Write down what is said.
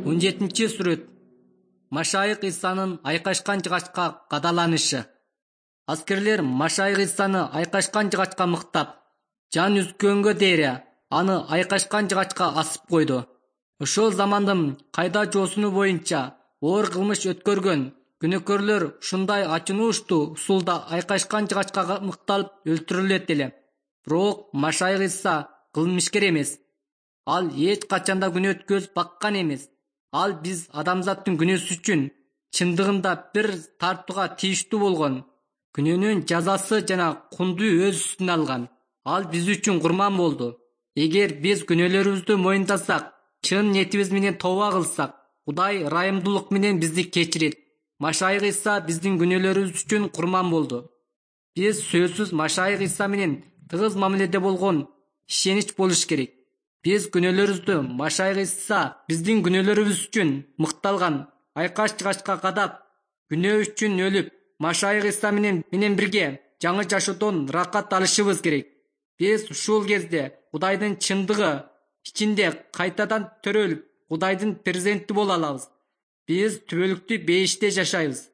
17-сүрөт. Машайык Исанын айкашкан жыгачка кадаланышы. Аскерлер Машайык Исаны айкашкан жыгачка мыктап, жан үзгөнгө дейре аны айкашкан жыгачка асып койду. Ошол замандын кайда жоосуну боюнча оор кылмыш өткөргөн күнөөкөрлөр ушундай ачынуучтуу усулда айкашкан жыгачка мыкталып өлтүрүлөт эле. Бирок Машайык Иса кылмышкер эмес. Ал эч качанда күнөө өткөзүп баккан эмес. Ал биз адамзаттын күнөөсү үчүн чындыгында бир тартууга тийиштүү болгон. Күнөөнүн жазасы жана кунду өз үстүнө алган. Ал биз үчүн курман болду. Эгер биз күнөөлөрүбүздү моюндасак, чын ниетибиз менен тооба кылсак, Кудай ырайымдуулук менен бизди кечирет. Машайык Иса биздин күнөөлөрүбүз үчүн курман болду. Биз сөзсүз Машайык Иса менен тыгыз мамиледе болгон ишенич болуш керек. Биз күнөөлөрүбүздү Машайык Иса биздин күнөөлөрүбүз үчүн мыкталган айкаш жыгачка кадап, күнөө үчүн өлүп, Машайык Иса менен бирге жаңы жашоодон ракат алышыбыз керек. Биз ушул кезде Кудайдын чындыгы ичинде кайтадан төрөлүп, Кудайдын перзенти боло алабыз. Биз түбөлүктүү бейиште жашайбыз.